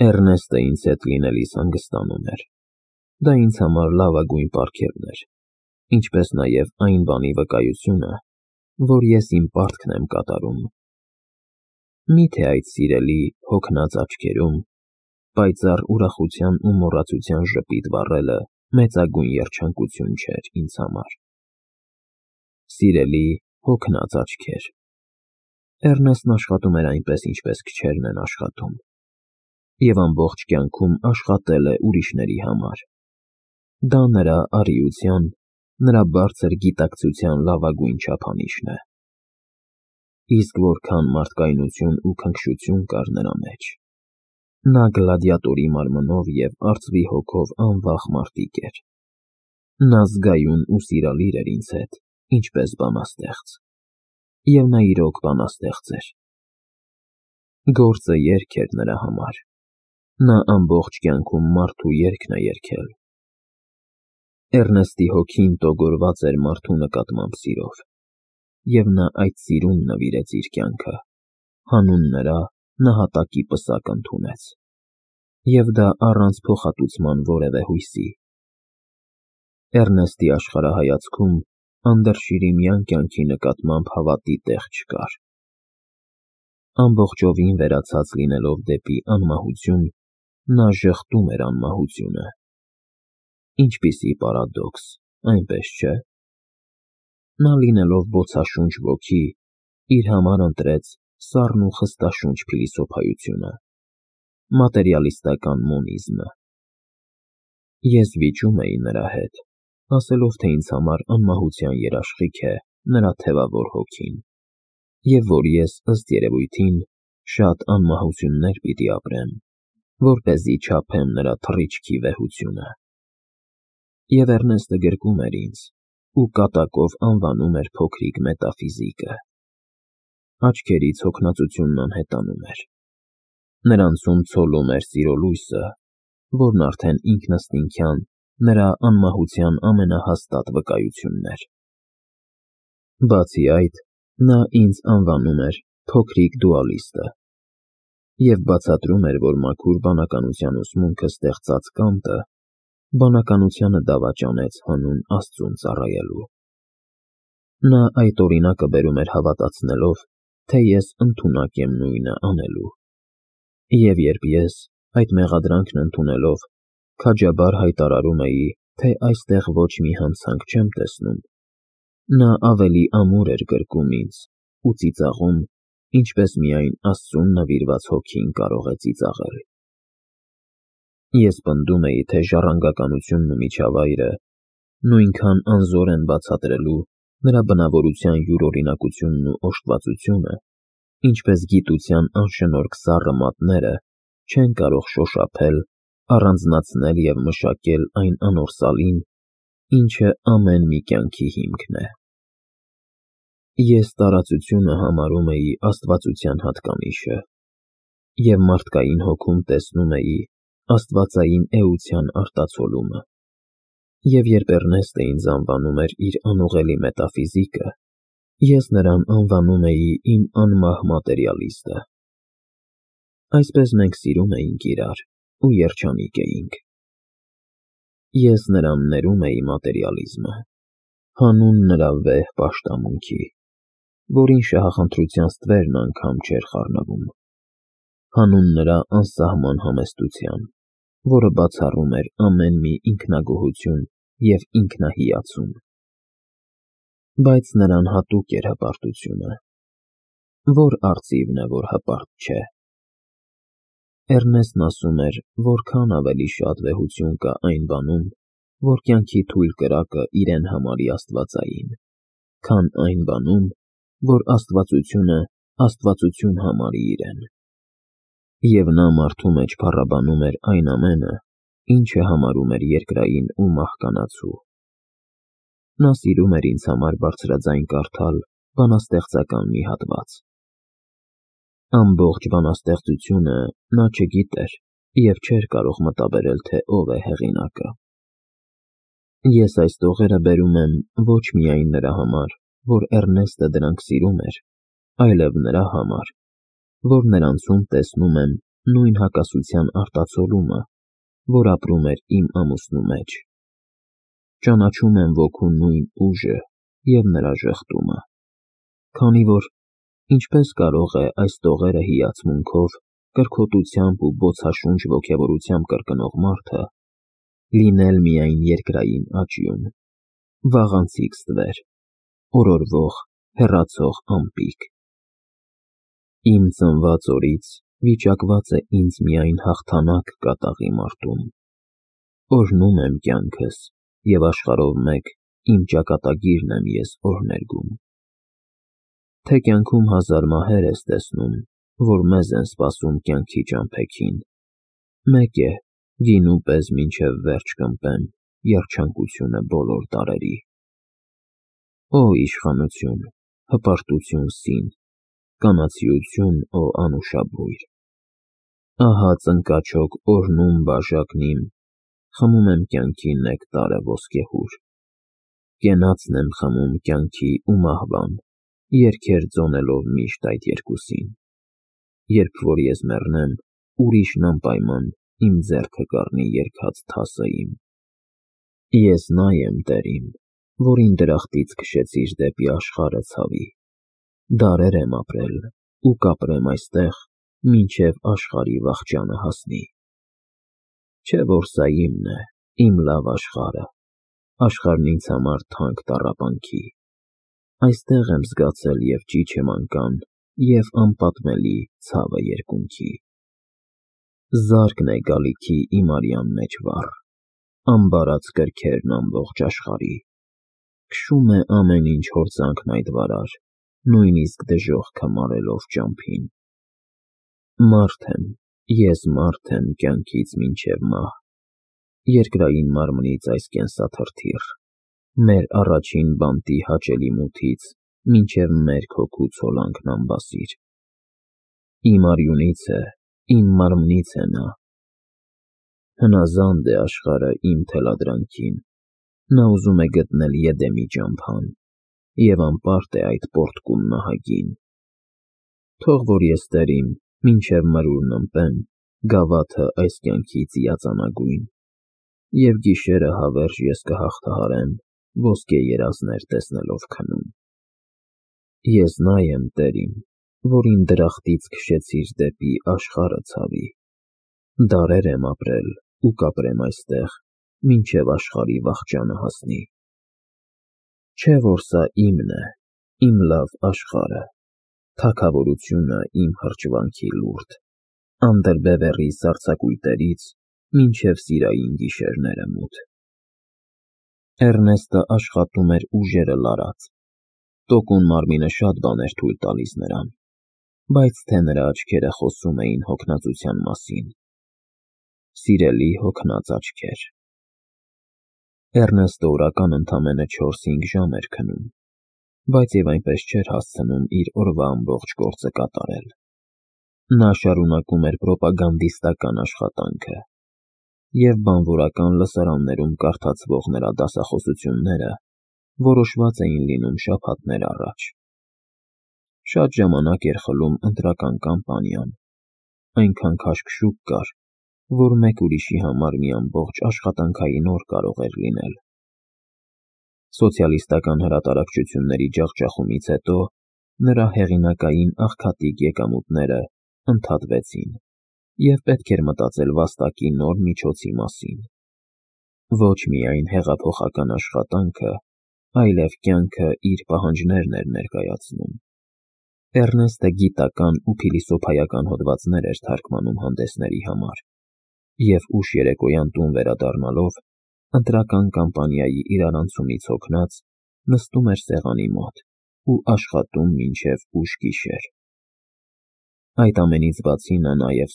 Էռնեստը ինձ հետ լինելիս հանգստանում էր։ Դա ինձ համար լավագույն պարգևն էր, ինչպես նաև այն բանի վկայությունը, որ ես իմ պարտքն եմ կատարում։ Միթե այդ սիրելի, հոգնած աչքերում պայծառ ուրախության ու մոռացության ժպիտ վառելը մեծագույն երջանկություն չէր ինձ համար։ Սիրելի, հոգնած աչքեր։ Էռնեստն աշխատում էր այնպես, ինչպես քչերն են աշխատում, և ամբողջ կյանքում աշխատել է ուրիշների համար։ Դա նրա առիության, նրա բարձր գիտակցության լավագույն չափանիշն է։ Իսկ որքան մարդկայնություն ու քնքշություն կար նրա մեջ։ Նա գլադիատորի մարմնով և արծվի հոգով անվախ մարտիկ էր։ Նա զգայուն ու սիրալիր էր ինձ հետ, ինչպես բանաստեղծ։ Եվ նա իրոք բանաստեղծ էր։ Գործը երգ էր նրա համար։ Նա ամբողջ կյանքում մարդու երգն է երգել։ Էռնեստի հոգին տոգորված էր մարդու նկատմամբ սիրով, և նա այդ սիրուն նվիրեց իր կյանքը, հանուն նրա նահատակի պսակ ընդունեց, և դա առանց փոխհատուցման որևէ հույսի։ Էռնեստի աշխարհայացքում անդրշիրիմյան կյանքի նկատմամբ հավատի տեղ չկար։ Ամբողջովին վերացած լինելով դեպի անմահություն, նա ժխտում էր անմահությունը։ Ինչպիսի պարադոքս, այնպես չէ՞։ Նա լինելով բոցաշունչ ոգի, իր համար ընտրեց սառն ու խստաշունչ փիլիսոփայությունը, մատերիալիստական մոնիզմը։ Ես վիճում էի նրա հետ, ասելով, թե ինձ համար անմահության երաշխիք է նրա թևավոր հոգին, և որ ես, ըստ երևույթին, շատ անմահություններ պիտի ապրեմ, որպեսզի չափեմ նրա թռիչքի վեհությունը։ Եվ Էռնեստը գրկում էր ինձ ու կատակով անվանում էր փոքրիկ մետաֆիզիկը։ Աչքերից հոգնածությունն անհետանում էր։ Նրանցում ցոլում էր սիրո լույսը, որն արդեն ինքնըստինքյան նրա անմահության ամենահաստատ վկայությունն էր։ Բացի այդ, նա ինձ անվանում էր փոքրիկ դուալիստը և բացատրում էր, որ մաքուր բանականության ուսմունքը ստեղծած Կանտը բանականությանը դավաճանեց հանուն Աստծուն ծառայելու։ Նա այդ օրինակը բերում էր հավատացնելով, թե ես ընդունակ եմ նույնը անելու։ Եվ երբ ես, այդ մեղադրանքն ընդունելով, քաջաբար հայտարարում էի, թե այստեղ ոչ մի հանցանք չեմ տեսնում, նա ավելի ամուր էր գրկում ինձ ու ծիծաղում, ինչպես միայն Աստծուն նվիրված հոգին կարող է ծիծաղել։ Ես պնդում էի, թե ժառանգականությունն ու միջավայրը նույնքան անզոր են բացատրելու նրա բնավորության յուրօրինակությունն ու օժտվածությունը, ինչպես գիտության անշնորհք սառը մատները չեն կարող շոշափել, առանձնացնել և մշակել այն անորսալին, ինչը ամեն մի կյանքի հիմքն է։ Ես տարածությունը համարում էի աստվածության հատկանիշը, և մարդկային հոգում տեսնում էի աստվածային էության արտացոլումը, և երբ Էռնեստը ինձ անվանում էր իր անուղելի մետաֆիզիկը, ես նրան անվանում էի իմ անմահ մատերիալիստը։ Այսպես մենք սիրում էինք իրար ու երջանիկ էինք։ Ես նրան ներում էի մատերիալիզմը, հանուն նրա վեհ պաշտամունքի, որին շահախնդրության ստվերն անգամ չէր խառնվում, հանուն նրա անսահման համեստության, որը բացառում էր ամեն մի ինքնագոհություն և ինքնահիացում։ Բայց նրան հատուկ էր հպարտությունը։ Որ արծիվն է, որ հպարտ չէ։ Էռնեստն ասում էր, որքան ավելի շատ վեհություն կա այն բանում, որ կյանքի թույլ կրակը իրեն համարի աստվածային, քան այն բանում, որ աստվածությունը աստվածություն համարի իրեն։ Եվ նա մարդու մեջ փառաբանում էր այն ամենը, ինչը համարում էր երկրային ու մահկանացու։ Նա սիրում էր ինձ համար բարձրաձայն կարդալ բանաստեղծական մի հատված։ Ամբողջ բանաստեղծությունը նա չգիտեր և չէր կարող մտաբերել, թե ով է հեղինակը։ Ես այս տողերը բերում եմ ոչ միայն նրա համար, որ Էռնեստը դրանք սիրում էր, այլև նրա համար, որ նրանցում տեսնում եմ նույն հակասության արտացոլումը, որ ապրում էր իմ ամուսնու մեջ։ Ճանաչում եմ ոգու նույն ուժը և նրա ժխտումը, քանի որ ինչպես կարող է այս տողերը հիացմունքով, կրքոտությամբ ու բոցաշունչ ոգևորությամբ կրկնող մարդը լինել միայն երկրային աճյուն, վաղանցիկ ստվեր, օրորվող, հեռացող ամպիկ։ Իմ ծնված օրից վիճակված է ինձ միայն հաղթանակ կատաղի մարտում։ Օրհնում եմ կյանքս և աշխարհով մեկ իմ ճակատագիրն եմ ես օրհներգում։ Թե կյանքում հազար մահեր ես տեսնում, որ մեզ են սպասում կյանքի ճամփեքին, մեկ է, գինու պես մինչև վերջ կմպեմ երջանկությունը բոլոր տարերի։ Օ իշխանություն, հպարտություն սին, կանացիություն օ անուշաբույր։ Ահա ծնկաչոք օրհնում բաժակն իմ, խմում եմ կյանքի նեկտարը ոսկեհուր։ Կենացն եմ խմում կյանքի ու մահվան, երգեր ձոնելով միշտ այդ երկուսին։ Երբ որ ես մեռնեմ, ուրիշն անպայման իմ ձեռքը կառնի երգած թասը իմ։ Ես նա եմ, Տեր իմ, որին դրախտից քշեցիր դեպի աշխարհը ցավի։ Դարեր եմ ապրել ու կապրեմ այստեղ, մինչև աշխարհի վախճանը հասնի։ Չէ՞ որ սա իմն է, իմ լավ աշխարհը, աշխարհն ինձ համար թանկ տառապանքի։ Այստեղ եմ զգացել և ճիչը մանկան, և անպատմելի ցավը երկունքի։ Զարկն է գալիքի իմ արյան մեջ վառ, ամբարած կրքերն ամբողջ աշխարհի։ Քշում է ամեն ինչ հորձանքն այդ վարար, նույնիսկ դժոխքը մարելով ճամփին։ Մարդ եմ, ես մարդ եմ կյանքից մինչև մահ, երկրային մարմնից այս կենսաթրթիռ, մեր առաջին բանտի հաճելի մութից մինչև մերկ հոգու ցոլանքն անբասիր։ Իմ արյունից է, իմ մարմնից է նա։ Հնազանդ է աշխարհը իմ թելադրանքին, նա ուզում է գտնել Եդեմի ճամփան և անպարտ է այդ պոռթկում նահագին։ Թող որ ես, Տեր իմ, մինչև մրուրն ըմպեմ գավաթը այս կյանքի ծիածանագույն, և գիշերը հավերժ ես կհաղթահարեմ ոսկե երազներ տեսնելով քնում։ Ես նա եմ, Տեր իմ, որին դրախտից քշեցիր դեպի աշխարհը ցավի։ Դարեր եմ ապրել ու կապրեմ այստեղ, մինչև աշխարհի վախճանը հասնի։ Չէ՞ որ սա իմն է, իմ լավ աշխարհը, թագավորությունը իմ հրճվանքի լուրջ, անդրբևեռի սառցակույտերից մինչև սիրային գիշերները մութ։ Էռնեստը աշխատում էր ուժերը լարած, տոկուն մարմինը շատ բան էր թույլ տալիս նրան, բայց թե նրա աչքերը խոսում էին հոգնածության մասին։ Սիրելի հոգնած աչքեր։ Էռնեստը օրական ընդամենը 4-5 ժամ էր քնում, բայց և այնպես չէր հասցնում իր օրվա ամբողջ գործը կատարել։ Նա շարունակում էր պրոպագանդիստական աշխատանքը, և բանվորական լսարաններում կարդացվող նրա դասախոսությունները որոշված էին լինում շաբաթներ առաջ։ Շատ ժամանակ էր խլում ընտրական կամպանիան, այնքան քաշքշուկ կար, որ մեկ ուրիշի համար մի ամբողջ աշխատանքային օր կարող էր լինել։ Սոցիալիստական հրատարակչությունների ջախջախումից հետո նրա հեղինակային աղքատիկ եկամուտները ընդհատվեցին, և պետք էր մտածել վաստակի նոր միջոցի մասին։ Ոչ միայն հեղափոխական աշխատանքը, այլև կյանքը իր պահանջներն էր ներկայացնում։ Էռնեստը գիտական ու փիլիսոփայական հոդվածներ էր թարգմանում հանդեսների համար, և ուշ երեկոյան տուն վերադառնալով, ընտրական կամպանիայի իրարանցումից հոգնած, նստում էր սեղանի մոտ ու աշխատում մինչև ուշ գիշեր։ Այդ ամենից բացի նա նաև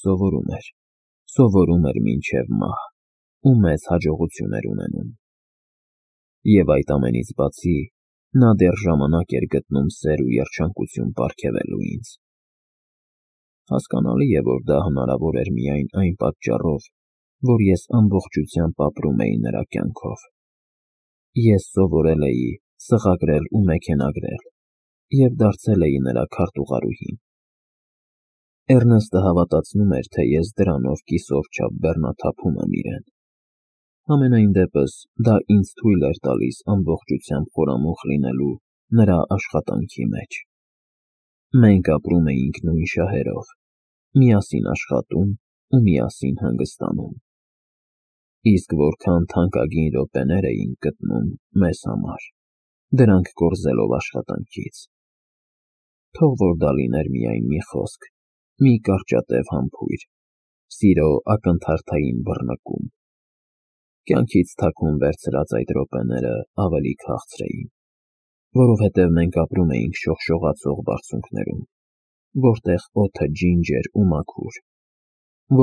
սովորում էր մինչև մահ ու մեծ հաջողություն էր ունենում։ Եվ այդ ամենից բացի նա դեռ ժամանակ էր գտնում սեր ու երջանկություն պարգևելու ինձ։ Հասկանալի է, որ դա հնարավոր էր միայն այն պատճառով, որ ես ամբողջությամբ ապրում էի նրա կյանքով։ Ես սովորել էի սղագրել ու մեքենագրել և դարձել էի նրա քարտուղարուհին։ Էռնեստը հավատացնում էր, թե ես դրանով կիսով չափ բեռնաթափում եմ իրեն։ Համենայն դեպս, դա ինձ թույլ էր տալիս ամբողջությամբ խորամուխ լինելու նրա աշխատանքի մեջ։ Մենք ապրում էինք նույն շահերով, միասին աշխատում ու միասին հանգստանում։ Իսկ որքան թանկագին րոպեներ էինք գտնում մեզ համար, դրանք կորզելով աշխատանքից։ Թող որ դա լիներ միայն մի խոսք, մի կարճատև համբույր, սիրո ակնթարթային բռնկում։ Կյանքից թաքուն վերցրած այդ րոպեները ավելի քաղցր էին, որովհետև մենք ապրում էինք շողշողացող բարձունքներում, որտեղ օդը ջինջ էր ու մաքուր,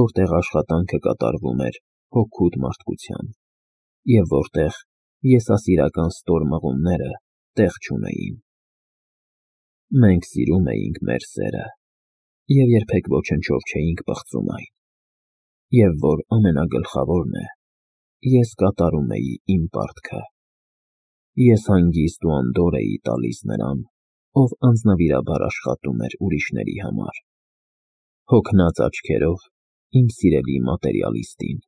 որտեղ աշխատանքը կատարվում էր հոգուտ մարդկությամբ, և որտեղ եսասիրական ստոր մղումները տեղ չունեին։ Մենք սիրում էինք մեր սերը և երբեք ոչնչով չէինք պղծում այն, և որ ամենագլխավորն է, ես կատարում էի իմ պարտքը։ Ես հանգիստ ու անդորր էի տալիս նրան, ով անձնվիրաբար աշխատում էր ուրիշների համար, հոգնած աչքերով իմ սիրելի մատերիալիստին։